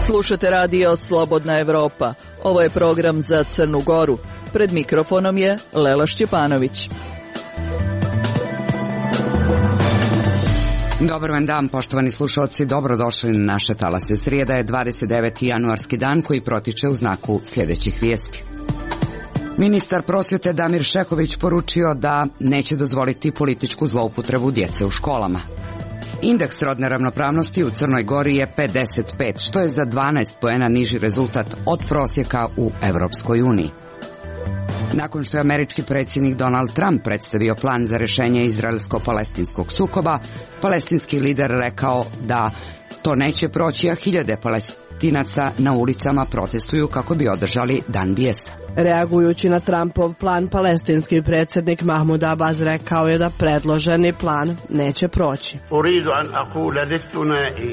Slušate radio Slobodna Evropa. Ovo je program za Crnu Goru. Pred mikrofonom je Lela Šćepanović. Dobar vam dan, poštovani slušalci, dobrodošli na naše talase. Srijeda je 29. januarski dan koji protiče u znaku sljedećih vijesti. Ministar prosvjete Damir Šehović poručio da neće dozvoliti političku zloupotrebu djece u školama. Indeks rodne ravnopravnosti u Crnoj Gori je 55, što je za 12 poena niži rezultat od prosjeka u Europskoj uniji. Nakon što je američki predsjednik Donald Trump predstavio plan za rješenje izraelsko-palestinskog sukoba, palestinski lider rekao da to neće proći, a hiljade Palestinaca na ulicama protestuju kako bi održali Dan bijesa. Reagujući na Trumpov plan, palestinski predsjednik Mahmud Abbas rekao je da predloženi plan neće proći.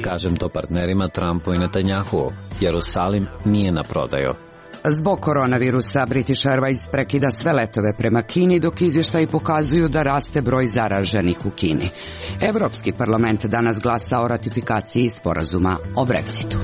Kažem to partnerima Trumpu i Netanjahu. Jerusalim nije na prodaju. Zbog koronavirusa British Airways prekida sve letove prema Kini, dok izvještaji pokazuju da raste broj zaraženih u Kini. Europski parlament danas glasa o ratifikaciji sporazuma o Brexitu.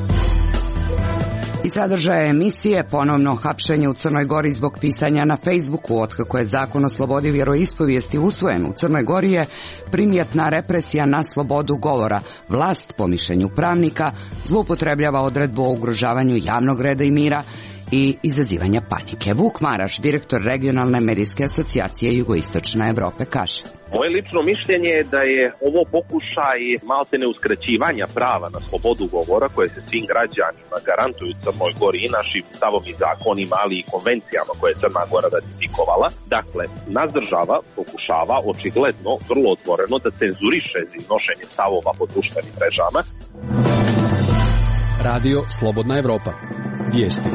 I sadržaje emisije: ponovno hapšenje u Crnoj Gori zbog pisanja na Facebooku. Otkako je zakon o slobodi vjeroispovijesti usvojen u Crnoj Gori je primjetna represija na slobodu govora. Vlast, po mišljenju pravnika, zloupotrebljava odredbu o ugrožavanju javnog reda i mira i izazivanja panike. Vuk Maraš, direktor regionalne medijske asocijacije Jugoistočne Europe, kaže: moje lično mišljenje je da je ovo pokušaj maltene uskraćivanja prava na slobodu govora koje se svim građanima garantuju u Crnoj Gori i našim stavom i zakonima, ali i konvencijama koje je Crna Gora ratifikovala. Dakle, nas država pokušava očigledno, vrlo otvoreno, da cenzuriše iznošenje stavova po društvenim mrežama. Radio Slobodna Evropa. Vijesti.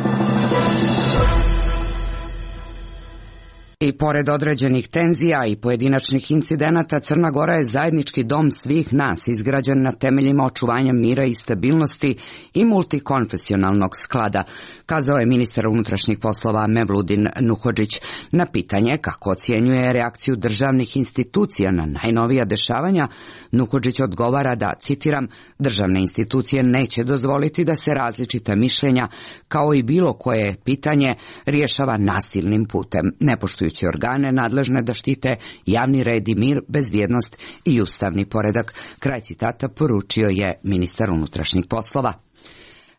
I pored određenih tenzija i pojedinačnih incidenata, Crna Gora je zajednički dom svih nas, izgrađen na temeljima očuvanja mira i stabilnosti i multikonfesionalnog sklada, kazao je ministar unutrašnjih poslova Mevludin Nuhodžić. Na pitanje kako ocjenjuje reakciju državnih institucija na najnovija dešavanja, Nuhodžić odgovara da, citiram, državne institucije neće dozvoliti da se različita mišljenja, kao i bilo koje pitanje, rješava nasilnim putem, ne poštujući organe nadležne da štite javni red i mir, bezbjednost i ustavni poredak. Kraj citata poručio je ministar unutrašnjih poslova.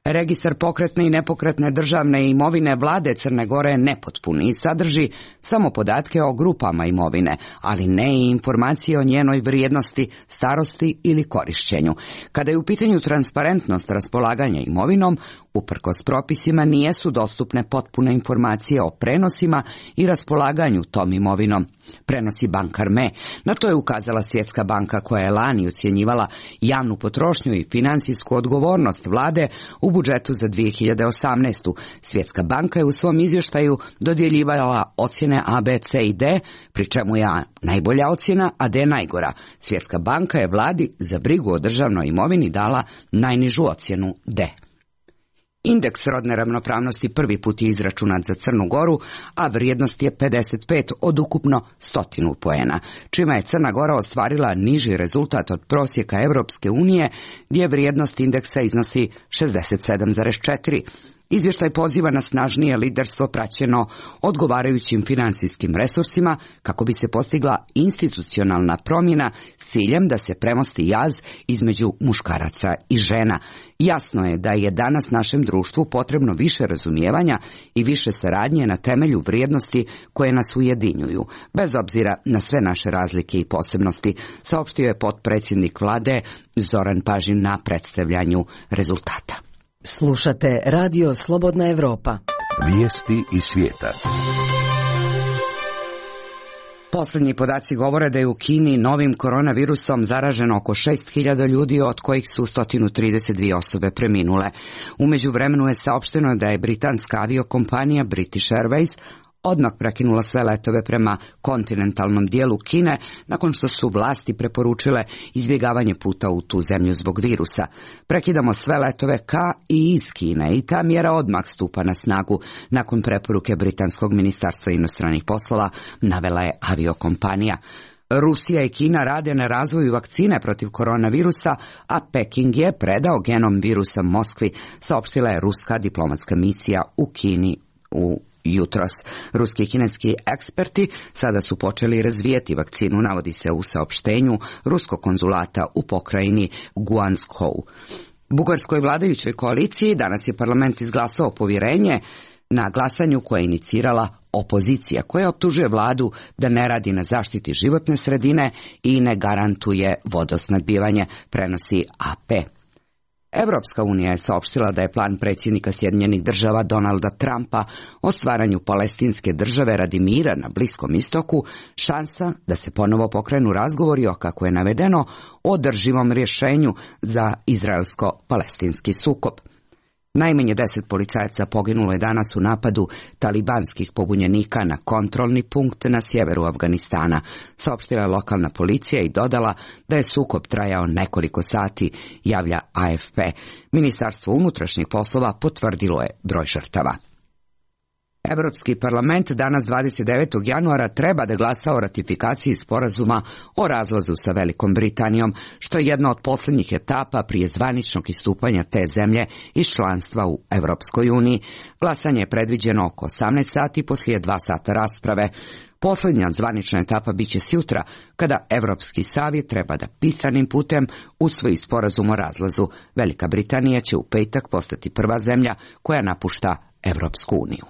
Registar pokretne i nepokretne državne imovine vlade Crne Gore je nepotpun i sadrži samo podatke o grupama imovine, ali ne i informacije o njenoj vrijednosti, starosti ili korišćenju. Kada je u pitanju transparentnost raspolaganja imovinom, uprkos propisima nijesu dostupne potpune informacije o prenosima i raspolaganju tom imovinom. Prenosi bankar Me. Na to je ukazala Svjetska banka koja je lani ocjenjivala javnu potrošnju i financijsku odgovornost vlade u budžetu za 2018. Svjetska banka je u svom izvještaju dodjeljivala ocjene A, B, C i D, pri čemu je A najbolja ocjena, a D najgora. Svjetska banka je vladi za brigu o državnoj imovini dala najnižu ocjenu D. Indeks rodne ravnopravnosti prvi put je izračunat za Crnu Goru, a vrijednost je 55 od ukupno 100 poena, čime je Crna Gora ostvarila niži rezultat od prosjeka Europske unije, gdje vrijednost indeksa iznosi 67,4. Izvještaj poziva na snažnije liderstvo praćeno odgovarajućim financijskim resursima kako bi se postigla institucionalna promjena s ciljem da se premosti jaz između muškaraca i žena. Jasno je da je danas našem društvu potrebno više razumijevanja i više saradnje na temelju vrijednosti koje nas ujedinjuju, bez obzira na sve naše razlike i posebnosti, saopštio je potpredsjednik vlade Zoran Pažin na predstavljanju rezultata. Slušate Radio Slobodna Evropa. Vijesti iz svijeta. Posljednji podaci govore da je u Kini novim koronavirusom zaraženo oko 6.000 ljudi, od kojih su 132 osobe preminule. U međuvremenu je saopšteno da je britanska aviokompanija British Airways odmah prekinula sve letove prema kontinentalnom dijelu Kine nakon što su vlasti preporučile izbjegavanje puta u tu zemlju zbog virusa. Prekidamo sve letove ka i iz Kine i ta mjera odmah stupa na snagu nakon preporuke Britanskog ministarstva inostranih poslova, navela je aviokompanija. Rusija i Kina rade na razvoju vakcine protiv koronavirusa, a Peking je predao genom virusa Moskvi, saopštila je ruska diplomatska misija u Kini jutros. Ruski i kineski eksperti sada su počeli razvijeti vakcinu, navodi se u saopštenju ruskog konzulata u pokrajini Guangzhou. Bugarskoj vladajućoj koaliciji danas je parlament izglasao povjerenje na glasanju koje je inicirala opozicija, koja optužuje vladu da ne radi na zaštiti životne sredine i ne garantuje vodosnabdijevanje, prenosi AP. Evropska unija je saopštila da je plan predsjednika Sjedinjenih država Donalda Trumpa o stvaranju palestinske države radi mira na Bliskom istoku šansa da se ponovo pokrenu razgovori o, kako je navedeno, održivom rješenju za izraelsko-palestinski sukob. Najmanje 10 policajaca poginulo je danas u napadu talibanskih pobunjenika na kontrolni punkt na sjeveru Afganistana, saopštila je lokalna policija i dodala da je sukob trajao nekoliko sati, javlja AFP. Ministarstvo unutrašnjih poslova potvrdilo je broj žrtava. Europski parlament danas 29. januara treba da glasa o ratifikaciji sporazuma o razlazu sa Velikom Britanijom, što je jedna od posljednjih etapa prije zvaničnog istupanja te zemlje iz članstva u Europskoj uniji. Glasanje je predviđeno oko 18 sati poslije 2 sata rasprave. Posljednja zvanična etapa biće sjutra, kada Europski savjet treba da pisanim putem usvoji sporazum o razlazu. Velika Britanija će u petak postati prva zemlja koja napušta Europsku uniju.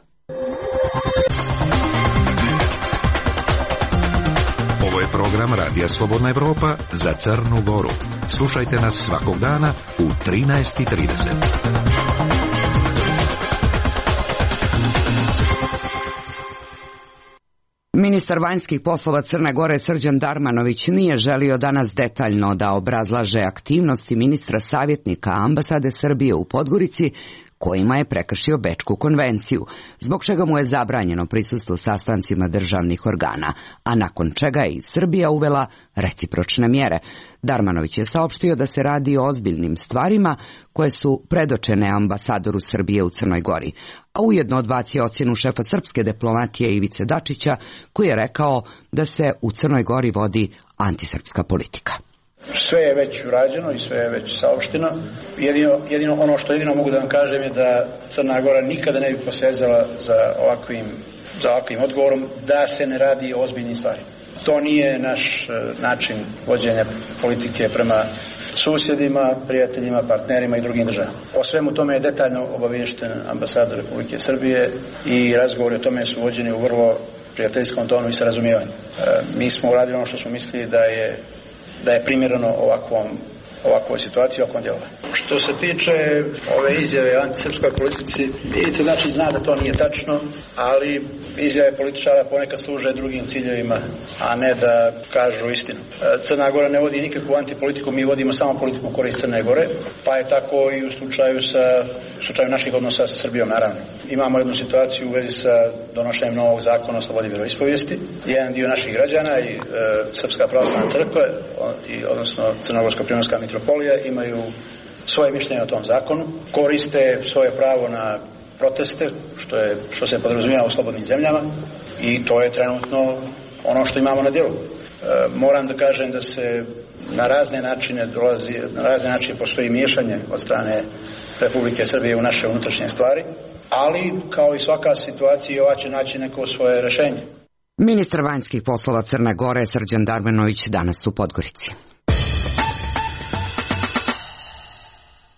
Ovo je program Radija Slobodna Evropa za Crnu Goru. Slušajte nas svakog dana u 13:30. Ministar vanjskih poslova Crne Gore Srđan Darmanović nije želio danas detaljno da obrazlaže aktivnosti ministra savjetnika ambasade Srbije u Podgorici, kojima je prekršio Bečku konvenciju, zbog čega mu je zabranjeno prisustvo sastancima državnih organa, a nakon čega je i Srbija uvela recipročne mjere. Darmanović je saopštio da se radi o ozbiljnim stvarima koje su predočene ambasadoru Srbije u Crnoj Gori, a ujedno odbacio ocjenu šefa srpske diplomatije Ivice Dačića, koji je rekao da se u Crnoj Gori vodi antisrpska politika. Sve je već urađeno i sve je već saopšteno. Jedino ono što mogu da vam kažem je da Crna Gora nikada ne bi posezala za ovakvim odgovorom da se ne radi o ozbiljnim stvarima. To nije naš način vođenja politike prema susjedima, prijateljima, partnerima i drugim državama. O svemu tome je detaljno obaviješten ambasador Republike Srbije i razgovori o tome su vođeni u vrlo prijateljskom tonu i sa razumijevanjem. Mi smo uradili ono što smo mislili da je primjereno ovakvoj situaciji, ovakvom djelovanju. Što se tiče ove izjave o antisrpskoj politici, Ivica Dačić zna da to nije tačno, ali izjave političara ponekad služe drugim ciljevima, a ne da kažu istinu. Crna Gora ne vodi nikakvu antipolitiku, mi vodimo samo politiku u korist Crne Gore, pa je tako i u slučaju naših odnosa sa Srbijom, naravno. Imamo jednu situaciju u vezi sa donošenjem novog zakona o slobodi vjeroispovijesti. Jedan dio naših građana i Srpska pravoslavna crkva, odnosno Crnogorsko-primorska mitropolija, imaju svoje mišljenje o tom zakonu, koriste svoje pravo na proteste, što se podrazumijeva u slobodnim zemljama, i to je trenutno ono što imamo na djelu. Moram da kažem da se na razne načine postoji miješanje od strane Republike Srbije u naše unutrašnje stvari, ali kao i svaka situacija ova će naći neko svoje rješenje. Ministar vanjskih poslova Crne Gore Srđan Darmanović danas u Podgorici.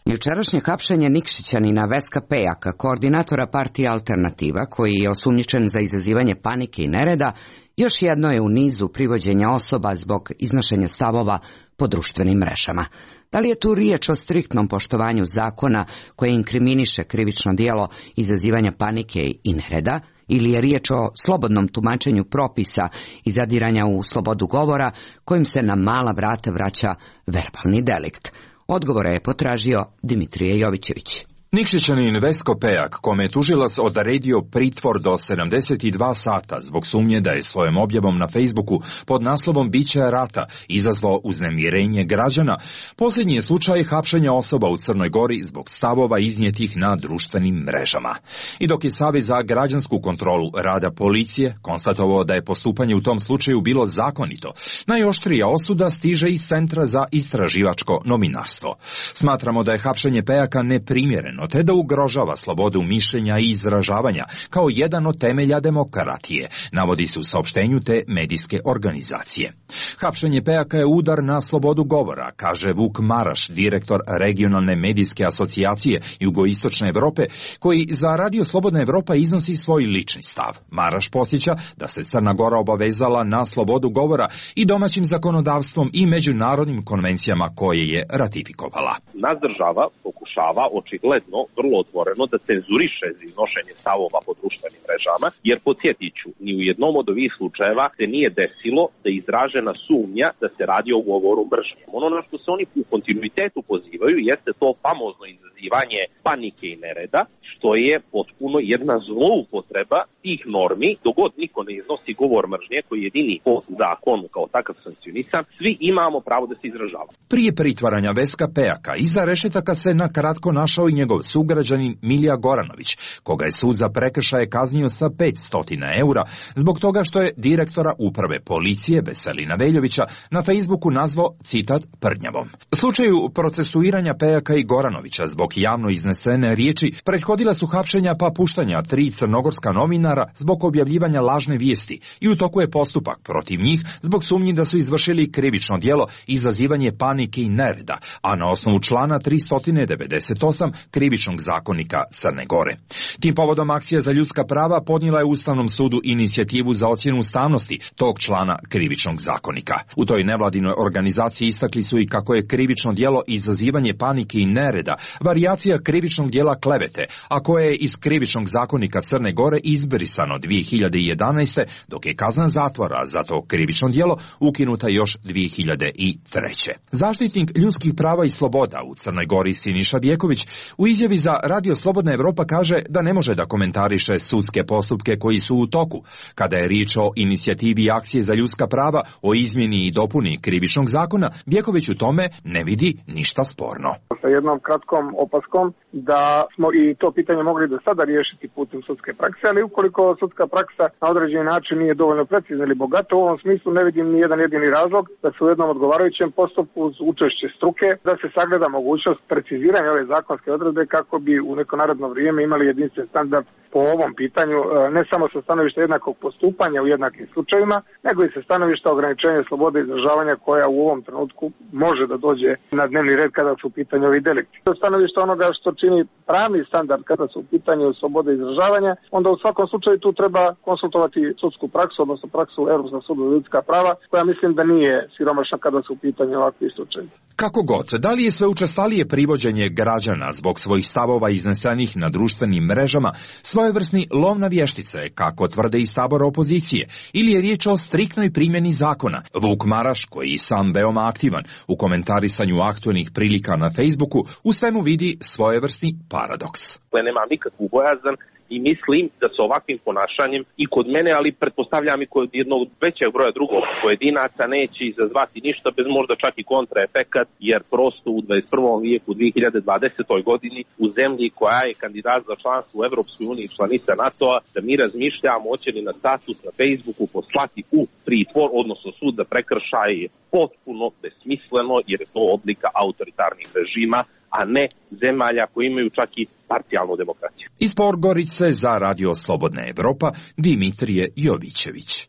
Jučerašnje hapšenje Nikšićanina Veska Pejaka, koordinatora partije Alternativa, koji je osumnjičen za izazivanje panike i nereda, još jedno je u nizu privođenja osoba zbog iznošenja stavova po društvenim mrežama. Da li je tu riječ o striktnom poštovanju zakona koje inkriminiše krivično djelo izazivanja panike i nereda, ili je riječ o slobodnom tumačenju propisa i zadiranja u slobodu govora kojim se na mala vrata vraća verbalni delikt? Odgovore je potražio Dimitrije Jovićević. Nikšićanin Vesko Pejak, kome je tužilac odredio pritvor do 72 sata zbog sumnje da je svojom objavom na Facebooku pod naslovom Biće rata izazvao uznemirenje građana, posljednji je slučaj hapšenja osoba u Crnoj Gori zbog stavova iznijetih na društvenim mrežama. I dok je Savez za građansku kontrolu rada policije konstatovao da je postupanje u tom slučaju bilo zakonito, najoštrija osuda stiže iz Centra za istraživačko novinarstvo. Smatramo da je hapšenje Pejaka neprimjereno, te da ugrožava slobodu mišljenja i izražavanja kao jedan od temelja demokratije, navodi se u saopštenju te medijske organizacije. Hapšenje Pejaka je udar na slobodu govora, kaže Vuk Maraš, direktor regionalne medijske asocijacije Jugoistočne Evrope, koji za Radio Slobodna Evropa iznosi svoj lični stav. Maraš podsjeća da se Crna Gora obavezala na slobodu govora i domaćim zakonodavstvom i međunarodnim konvencijama koje je ratifikovala. Naš država pokušava očigledno vrlo otvoreno da cenzuriše iznošenje stavova po društvenim mrežama, jer podsjetit ću, ni u jednom od ovih slučajeva se nije desilo da je izražena sumnja da se radi o govoru mržnje. Ono na što se oni u kontinuitetu pozivaju jeste to famozno izazivanje panike i nereda, što je potpuno jedna zloupotreba tih normi. Dogod niko ne iznosi govor mržnje koji je jedini po zakonu kao takav sankcionisan, svi imamo pravo da se izražava. Prije pritvaranja Veska Pejaka iza rešetaka se na kratko našao i njegov sugrađanin Milija Goranović, koga je sud za prekršaje kaznio sa 500 eura zbog toga što je direktora uprave policije Veselina Veljovića na Facebooku nazvao, citat, prdnjavom. Slučaju procesuiranja Pejaka i Goranovića zbog javno iznesene riječi prethodila su hapšenja pa puštanja 3 crnogorska novinara zbog objavljivanja lažne vijesti i u toku je postupak protiv njih zbog sumnji da su izvršili krivično djelo izazivanje panike i nereda, a na osnovu člana 398 krivičnog zakonika Crne Gore. Tim povodom Akcija za ljudska prava podnijela je Ustavnom sudu inicijativu za ocjenu ustavnosti tog člana krivičnog zakonika. U toj nevladinoj organizaciji istakli su i kako je krivično djelo izazivanje panike i nereda varijacija krivičnog djela klevete, a koje je iz krivičnog zakonika Crne Gore izbrisano 2011. dok je kazna zatvora za to krivično djelo ukinuta još 2003. Zaštitnik ljudskih prava i sloboda u Crnoj Gori Siniša Bjeković u izjavi za Radio Slobodna Evropa kaže da ne može da komentariše sudske postupke koji su u toku. Kada je riječ o inicijativi Akcije za ljudska prava o izmjeni i dopuni krivičnog zakona, Bjeković u tome ne vidi ništa sporno. Sa jednom kratkom opaskom da smo i to pitanje mogli do sada riješiti putem sudske prakse, ali ukoliko sudska praksa na određeni način nije dovoljno precizna ili bogata, u ovom smislu ne vidim ni jedan jedini razlog da se u jednom odgovarajućem postupku uz učešće struke da se sagleda mogućnost preciziranja ove zakonske odredbe kako bi u neko naredno vrijeme imali jedinstven standard po ovom pitanju, ne samo sa stanovišta jednakog postupanja u jednakim slučajevima, nego i sa stanovišta ograničenja slobode izražavanja koja u ovom trenutku može da dođe na dnevni red kada su u pitanju ovi delikti. Sa stanovišta onoga što čini pravni standard kada su u pitanju slobode izražavanja, onda u svakom slučaju tu treba konsultovati sudsku praksu, odnosno praksu Europskog suda za ljudska prava, koja mislim da nije siromašna kada su u pitanju ovakvi slučajevi. Kako god, da li je sve učestalije privođenje građana zbog svojih stavova iznesenih na društvenim mrežama svojevrsni lov na vještice, kako tvrde iz tabora opozicije, ili je riječ o striktnoj primjeni zakona? Vuk Maraš, koji je sam veoma aktivan u komentarisanju aktualnih prilika na Facebooku, u svemu vidi svojevrsni paradoks. Nemam nikakvu bojazan i mislim da sa ovakvim ponašanjem i kod mene, ali pretpostavljam i kod jednog većeg broja drugog pojedinaca neće izazvati ništa bez možda čak i kontraefekat, jer prosto u 21. vijeku, 2020. godini, u zemlji koja je kandidat za članstvo u Evropskoj uniji i članica NATO-a, da mi razmišljamo hoće li na status na Facebooku poslati u pritvor, odnosno sud za prekršaj, je potpuno besmisleno, jer je to oblika autoritarnih režima, a ne zemalja koji imaju čak i parcijalnu demokraciju. Iz Podgorice za Radio Slobodna Evropa, Dimitrije Jovićević.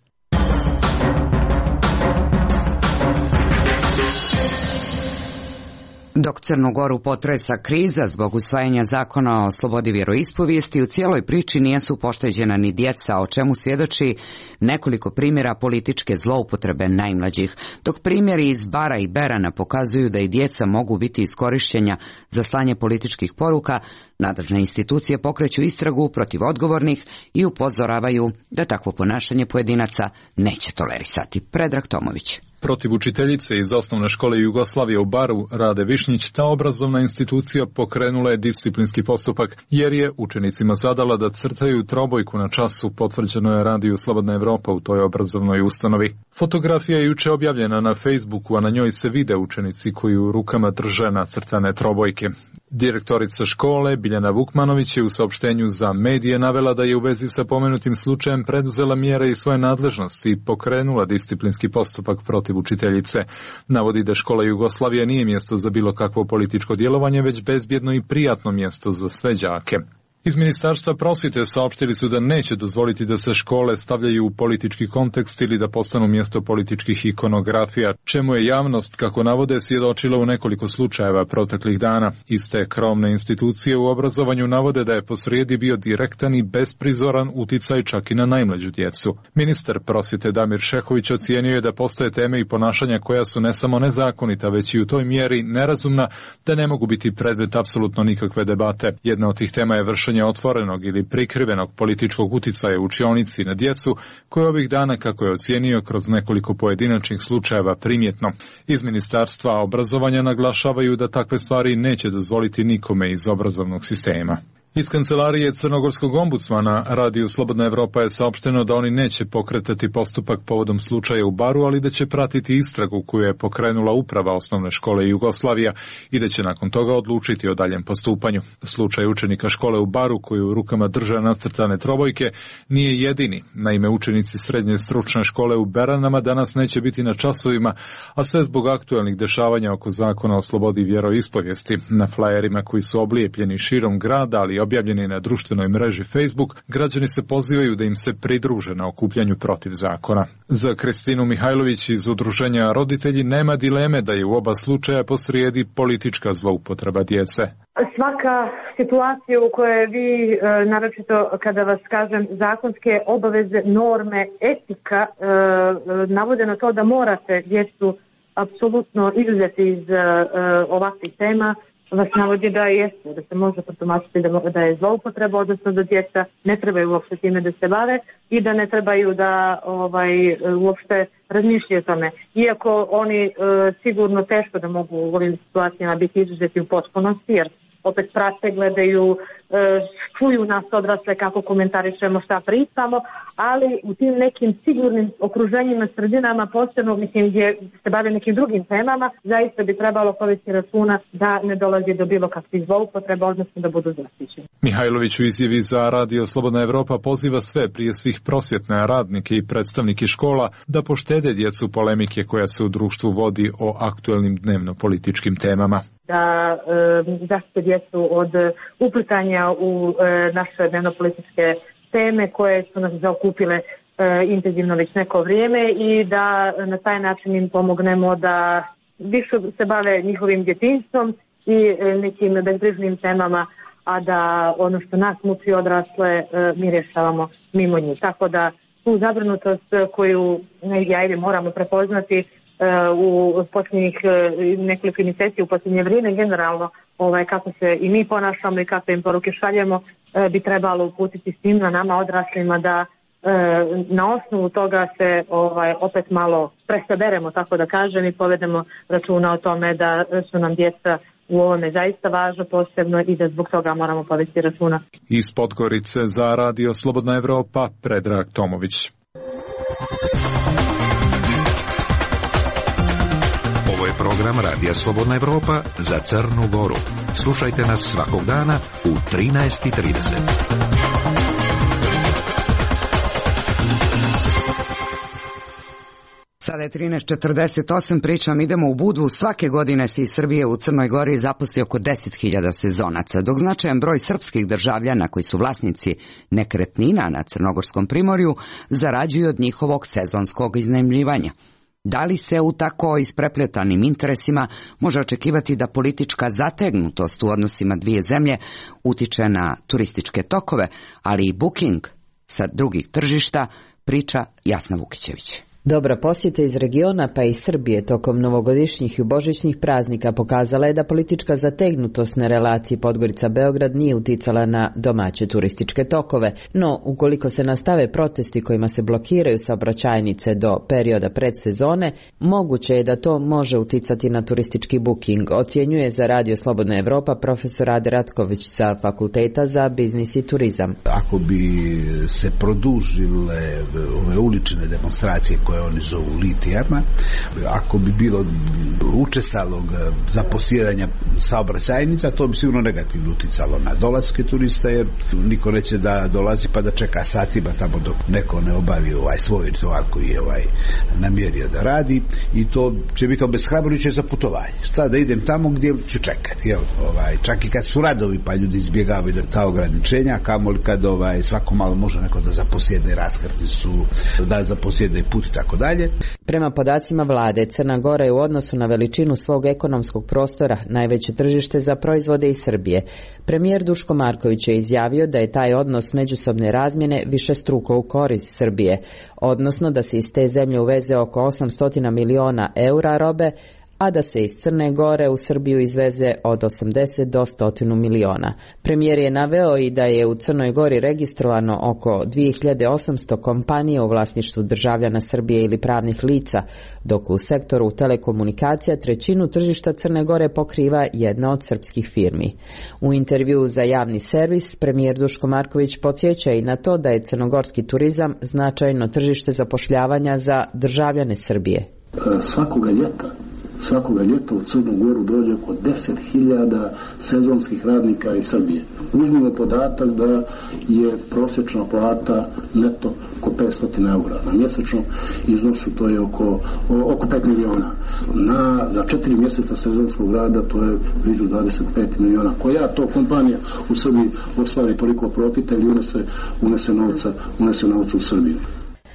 Dok Crnu Goru potresa kriza zbog usvajanja zakona o slobodi vjeroispovijesti, u cijeloj priči nisu pošteđena ni djeca, o čemu svjedoči nekoliko primjera političke zloupotrebe najmlađih, dok primjeri iz Bara i Berana pokazuju da i djeca mogu biti iskorišćena za slanje političkih poruka. Nadležne institucije pokreću istragu protiv odgovornih i upozoravaju da takvo ponašanje pojedinaca neće tolerisati. Predrag Tomović. protiv učiteljice iz osnovne škole Jugoslavije u Baru, Rade Višnjić, ta obrazovna institucija pokrenula je disciplinski postupak jer je učenicima zadala da crtaju trobojku na času, potvrđeno je Radiju Slobodna Evropa u toj obrazovnoj ustanovi. Fotografija je juče objavljena na Facebooku, a na njoj se vide učenici koji u rukama drže nacrtane trobojke. Direktorica škole Biljana Vukmanović je u saopštenju za medije navela da je u vezi sa pomenutim slučajem preduzela mjere i svoje nadležnosti i pokrenula disciplinski postupak protiv učiteljice. Navodi da škola Jugoslavija nije mjesto za bilo kakvo političko djelovanje, već bezbjedno i prijatno mjesto za sve đake. Iz Ministarstva prosvjete saopštili su da neće dozvoliti da se škole stavljaju u politički kontekst ili da postanu mjesto političkih ikonografija, čemu je javnost, kako navode, svjedočila u nekoliko slučajeva proteklih dana. Iste krovne institucije u obrazovanju navode da je posrijedi bio direktan i besprizoran uticaj čak i na najmlađu djecu. Ministar prosvjete Damir Šehović ocijenio je da postoje teme i ponašanja koja su ne samo nezakonita, već i u toj mjeri nerazumna da ne mogu biti predmet apsolutno nikakve debate. Jedna od tih tema je vršenje otvorenog ili prikrivenog političkog uticaja u učionici na djecu, koje ovih dana, kako je ocijenio, kroz nekoliko pojedinačnih slučajeva primjetno. Iz Ministarstva obrazovanja naglašavaju da takve stvari neće dozvoliti nikome iz obrazovnog sistema. Iz kancelarije crnogorskog ombudsmana Radiju Slobodna Evropa je saopšteno da oni neće pokretati postupak povodom slučaja u Baru, ali da će pratiti istragu koju je pokrenula uprava osnovne škole Jugoslavija i da će nakon toga odlučiti o daljem postupanju. Slučaj učenika škole u Baru koji u rukama drže nacrtane trobojke nije jedini. Naime, učenici srednje stručne škole u Beranama danas neće biti na časovima, a sve zbog aktuelnih dešavanja oko zakona o slobodi vjeroispovijesti. Na flajerima koji su oblijepljeni širom grada, ali objavljeni na društvenoj mreži Facebook, građani se pozivaju da im se pridruže na okupljanju protiv zakona. Za Kristinu Mihajlović iz udruženja Roditelji nema dileme da je u oba slučaja posrijedi politička zloupotreba djece. Svaka situacija u kojoj vi, naročito kada vas kažem, zakonske obaveze, norme, etika navode na to da morate djecu apsolutno izuzeti iz ovakvih tema, vas navodi da jeste, da se može protumačiti da je zloupotreba, odnosno da djeca ne trebaju uopšte time da se bave i da ne trebaju da uopšte razmišljaju o tome. Iako oni sigurno teško da mogu u ovim situacijama biti izuzeti u potpunosti, jer opet prate, gledaju, čuju nas odrasle kako komentarišemo, šta pričamo, ali u tim nekim sigurnim okruženjima, sredinama, posebno gdje se bave nekim drugim temama, zaista bi trebalo povesti računa da ne dolazi do bilo kakvih zloupotreba, odnosno da budu zaštićeni. Mihajlović u izjavi za Radio Slobodna Evropa poziva sve, prije svih prosvjetne radnike i predstavnike škola, da poštede djecu polemike koja se u društvu vodi o aktuelnim dnevno-političkim temama. Da zaštite djecu od uplitanja u naše dnevno-političke teme koje su nas zaokupile intenzivno već neko vrijeme i da na taj način im pomognemo da više se bave njihovim djetinjstvom i nekim bezbrižnim temama, a da ono što nas muči odrasle mi rješavamo mimo njih. Tako da tu zabrinutost koju moramo prepoznati u posljednjih nekoliko mjeseci, u posljednje vrijeme generalno, kako se i mi ponašamo i kakve im poruke šaljemo, bi trebalo uputiti svim nama odraslima da na osnovu toga se opet malo presaberemo, tako da kažem, i povedemo računa o tome da su nam djeca u ovome zaista važno posebno i da zbog toga moramo povesti računa. Iz Podgorice za Radio Slobodna Evropa, Predrag Tomović. Ovo je program Radija Slobodna Evropa za Crnu Goru. Slušajte nas svakog dana u 13:30. Sada je 13:48, pričam, idemo u Budvu. Svake godine se iz Srbije u Crnoj Gori zaposli oko 10.000 sezonaca, dok značajan broj srpskih državljana koji su vlasnici nekretnina na Crnogorskom primorju zarađuju od njihovog sezonskog iznajmljivanja. Da li se u tako isprepletanim interesima može očekivati da politička zategnutost u odnosima dvije zemlje utiče na turističke tokove, ali i booking sa drugih tržišta, priča Jasna Vukićević. Dobra posjeta iz regiona pa i Srbije tokom novogodišnjih i božićnih praznika pokazala je da politička zategnutost na relaciji Podgorica-Beograd nije uticala na domaće turističke tokove, no ukoliko se nastave protesti kojima se blokiraju saobraćajnice do perioda predsezone, moguće je da to može uticati na turistički booking, ocjenjuje za Radio Slobodna Evropa profesor Rade Ratković sa Fakulteta za biznis i turizam. Ako bi se produžile ove ulične demonstracije koje oni zovu litijama, ako bi bilo učestalog zaposjedanja saobraćajnica, to bi sigurno negativno uticalo na dolaske turista, jer niko neće da dolazi pa da čeka satima tamo dok neko ne obavi svoj ritual koji je namjerio da radi, i to će biti obeshrabrujuće za putovanje. Šta da idem tamo gdje ću čekati, čak i kad su radovi pa ljudi izbjegavaju ta ograničenja, kamoli kad svako malo može neko da zaposjedne raskrticu, da zaposjedne put i tako dalje. Prema podacima vlade, Crna Gora je u odnosu na veličinu svog ekonomskog prostora najveće tržište za proizvode iz Srbije. Premijer Duško Marković je izjavio da je taj odnos međusobne razmjene višestruko u korist Srbije, odnosno da se iz te zemlje uveze oko 800 miliona eura robe, a da se iz Crne Gore u Srbiju izveze od 80 do 100 miliona. Premijer je naveo i da je u Crnoj Gori registrovano oko 2800 kompanija u vlasništvu državljana Srbije ili pravnih lica, dok u sektoru telekomunikacija trećinu tržišta Crne Gore pokriva jedna od srpskih firmi. U intervjuu za javni servis premijer Duško Marković podsjeća i na to da je crnogorski turizam značajno tržište zapošljavanja za državljane Srbije. Svakoga ljeta u Crnu Goru dođe oko 10.000 sezonskih radnika iz Srbije. Uzmimo podatak da je prosječna plata neto oko 500 eura. Na mjesečnom iznosu to je oko 5 miliona. Za 4 mjeseca sezonskog rada to je blizu 25 miliona. Koja to kompanija u Srbiji ostvari toliko profita ili unese novca u Srbiju?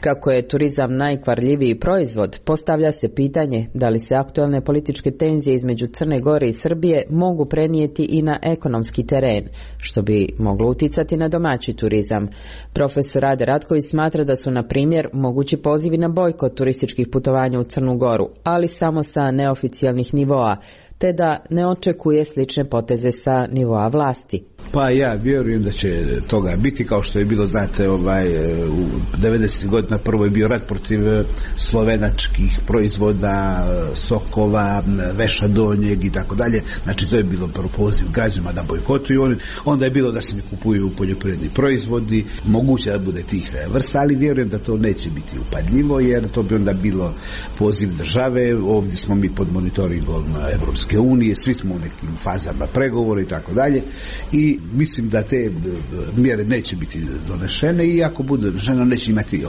Kako je turizam najkvarljiviji proizvod, postavlja se pitanje da li se aktualne političke tenzije između Crne Gore i Srbije mogu prenijeti i na ekonomski teren, što bi moglo uticati na domaći turizam. Profesor Rade Ratković smatra da su, na primjer, mogući pozivi na bojkot turističkih putovanja u Crnu Goru, ali samo sa neoficijalnih nivoa, te da ne očekuje slične poteze sa nivoa vlasti. Pa ja vjerujem da će toga biti, kao što je bilo, znate, u 90. godina prvo je bio rat protiv slovenačkih proizvoda, sokova, veša donjeg i tako dalje. Znači to je bilo prvo poziv građanima da bojkotuju, onda je bilo da se ne kupuju poljoprivredni proizvodi, moguće da bude tih vrsta, ali vjerujem da to neće biti upadljivo, jer to bi onda bilo poziv države. Ovdje smo mi pod monitoringom Evropske unije, svi smo u nekim fazama pregovora i tako dalje, i mislim da te mjere neće biti donešene, i ako bude donešeno neće imati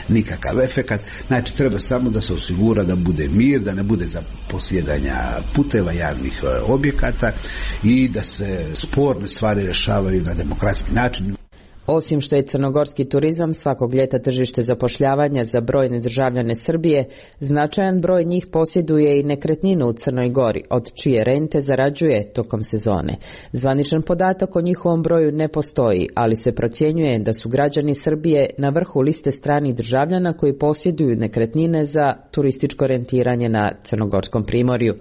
nikakav efekat. Znači treba samo da se osigura da bude mir, da ne bude zaposjedanja puteva, javnih objekata, i da se sporne stvari rješavaju na demokratski način. Osim što je crnogorski turizam svakog ljeta tržište zapošljavanja za brojne državljane Srbije, značajan broj njih posjeduje i nekretninu u Crnoj Gori, od čije rente zarađuje tokom sezone. Zvaničan podatak o njihovom broju ne postoji, ali se procjenjuje da su građani Srbije na vrhu liste stranih državljana koji posjeduju nekretnine za turističko rentiranje na Crnogorskom primorju.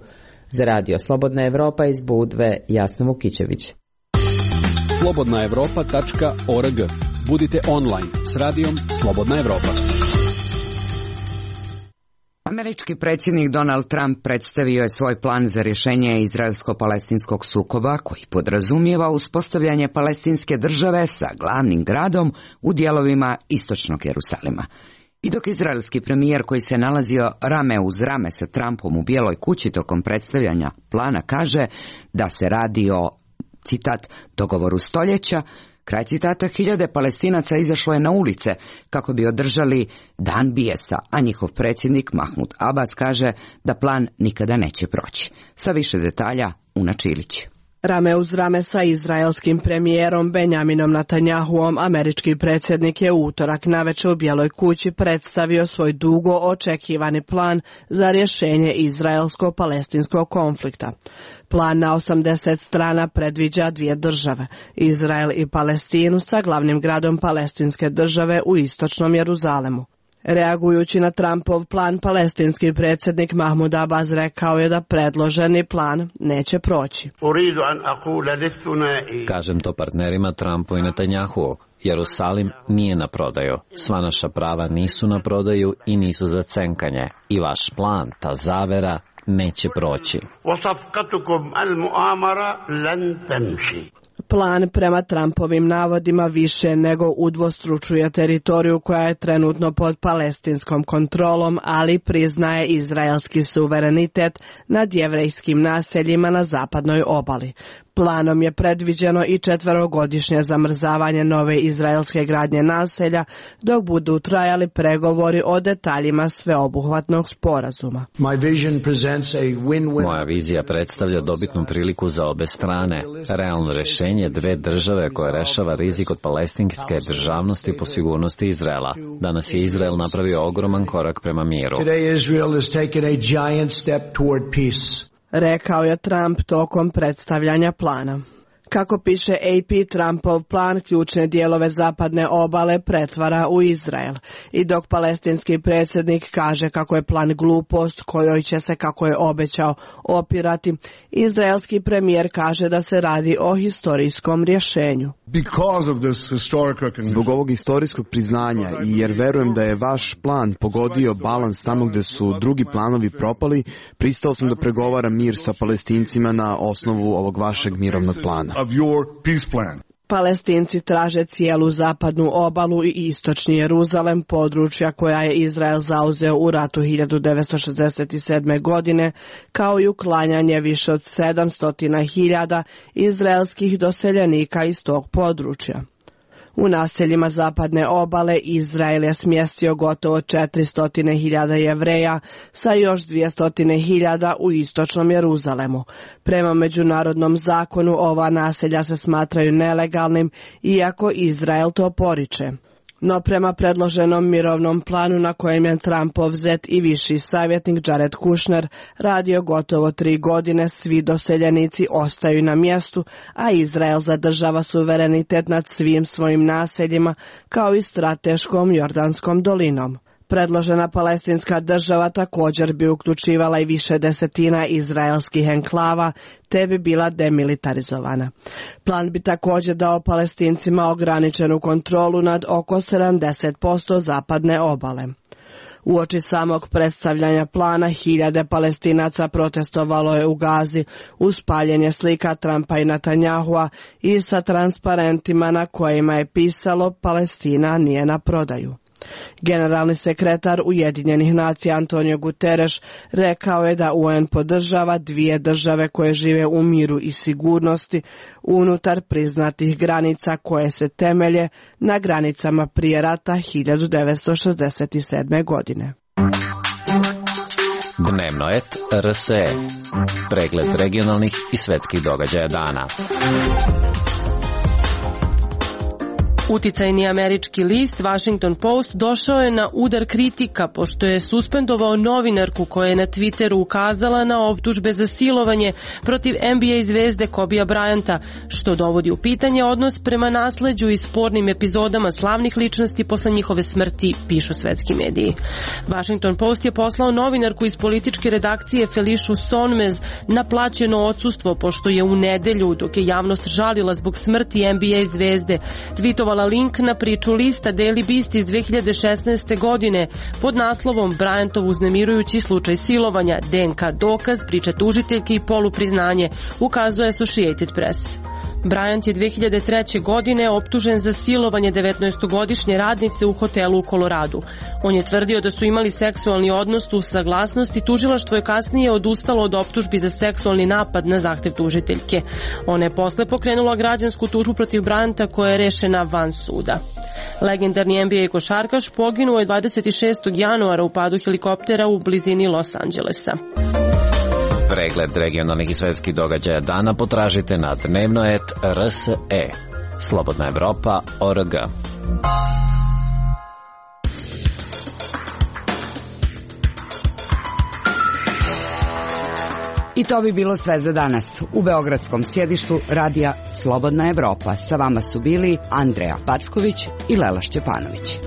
Za Radio Slobodna Evropa iz Budve, Jasna Vukićević. slobodnaevropa.org. Budite online s radijom Slobodna Evropa. Američki predsjednik Donald Trump predstavio je svoj plan za rješenje izraelsko-palestinskog sukoba, koji podrazumijeva uspostavljanje palestinske države sa glavnim gradom u dijelovima istočnog Jerusalima. I dok izraelski premijer, koji se nalazio rame uz rame sa Trumpom u Bijeloj kući tokom predstavljanja plana, kaže da se radi o, citat, dogovoru stoljeća, kraj citata, hiljade Palestinaca izašlo je na ulice kako bi održali dan bijesa, a njihov predsjednik Mahmud Abbas kaže da plan nikada neće proći. Sa više detalja Una Čilić. Rame uz rame sa izraelskim premijerom Benjaminom Netanjahuom, američki predsjednik je u utorak navečer u Bijeloj kući predstavio svoj dugo očekivani plan za rješenje izraelsko-palestinskog konflikta. Plan na 80 strana predviđa dvije države, Izrael i Palestinu, sa glavnim gradom palestinske države u istočnom Jeruzalemu. Reagujući na Trumpov plan, palestinski predsjednik Mahmud Abbas rekao je da predloženi plan neće proći. Kažem to partnerima Trumpu i Netanjahu. Jerusalim nije na prodaju. Sva naša prava nisu na prodaju i nisu za cenkanje. I vaš plan, ta zavera, neće proći. Plan prema Trumpovim navodima više nego udvostručuje teritoriju koja je trenutno pod palestinskom kontrolom, ali priznaje izraelski suverenitet nad jevrejskim naseljima na zapadnoj obali. Planom je predviđeno i 4-godišnje zamrzavanje nove izraelske gradnje naselja dok budu trajali pregovori o detaljima sveobuhvatnog sporazuma. Moja vizija predstavlja dobitnu priliku za obe strane. Realno rješenje dve države koje rešava rizik od palestinske državnosti po sigurnosti Izraela. Danas je Izrael napravio ogroman korak prema miru. Rekao je Trump tokom predstavljanja plana. Kako piše AP, Trumpov plan ključne dijelove zapadne obale pretvara u Izrael. I dok palestinski predsjednik kaže kako je plan glupost kojoj će se, kako je obećao, opirati, izraelski premijer kaže da se radi o historijskom rješenju. Zbog ovog historijskog priznanja i jer verujem da je vaš plan pogodio balans tamo gde su drugi planovi propali, pristao sam da pregovaram mir sa Palestincima na osnovu ovog vašeg mirovnog plana. Palestinci traže cijelu zapadnu obalu i istočni Jeruzalem, područja koja je Izrael zauzeo u ratu 1967. godine, kao i uklanjanje više od 700.000 izraelskih doseljenika iz tog područja. U naseljima zapadne obale Izrael je smjestio gotovo 400.000 Jevreja sa još 200.000 u istočnom Jeruzalemu. Prema međunarodnom zakonu ova naselja se smatraju nelegalnim, iako Izrael to poriče. No prema predloženom mirovnom planu na kojem je Trumpov zet i viši savjetnik Jared Kushner radio gotovo 3 godine, svi doseljenici ostaju na mjestu, a Izrael zadržava suverenitet nad svim svojim naseljima kao i strateškom Jordanskom dolinom. Predložena palestinska država također bi uključivala i više desetina izraelskih enklava, te bi bila demilitarizovana. Plan bi također dao Palestincima ograničenu kontrolu nad oko 70% zapadne obale. Uoči samog predstavljanja plana, hiljade Palestinaca protestovalo je u Gazi uz paljenje slika Trumpa i Netanjahua i sa transparentima na kojima je pisalo Palestina nije na prodaju. Generalni sekretar Ujedinjenih nacija Antonio Guterres rekao je da UN podržava dvije države koje žive u miru i sigurnosti unutar priznatih granica koje se temelje na granicama prije rata 1967. godine. Dnevno et RSE. Pregled regionalnih i svetskih događaja dana. Uticajni američki list Washington Post došao je na udar kritika pošto je suspendovao novinarku koja je na Twitteru ukazala na optužbe za silovanje protiv NBA zvezde Kobija Bryanta, što dovodi u pitanje odnos prema nasleđu i spornim epizodama slavnih ličnosti posle njihove smrti, pišu svetski mediji. Washington Post je poslao novinarku iz političke redakcije Felišu Sonmez na plaćeno odsustvo pošto je u nedelju, dok je javnost žalila zbog smrti NBA zvezde, tweetovala link na priču lista Daily Beast iz 2016. godine pod naslovom Bryantov uznemirujući slučaj silovanja, DNK dokaz, priča tužiteljke i polupriznanje, ukazuje Associated Press. Bryant je 2003. godine optužen za silovanje 19-godišnje radnice u hotelu u Koloradu. On je tvrdio da su imali seksualni odnos uz saglasnost i tužilaštvo je kasnije odustalo od optužbi za seksualni napad na zahtev tužiteljke. Ona je posle pokrenula građansku tužbu protiv Bryanta koja je rešena van suda. Legendarni NBA košarkaš poginuo je 26. januara u padu helikoptera u blizini Los Angelesa. Pregled regionalnih i svetskih događaja dana potražite na dnevnoet.rse. Slobodna Evropa.org. I to bi bilo sve za danas. U beogradskom sjedištu radija Slobodna Evropa sa vama su bili Andreja Packović i Lela Šćepanović.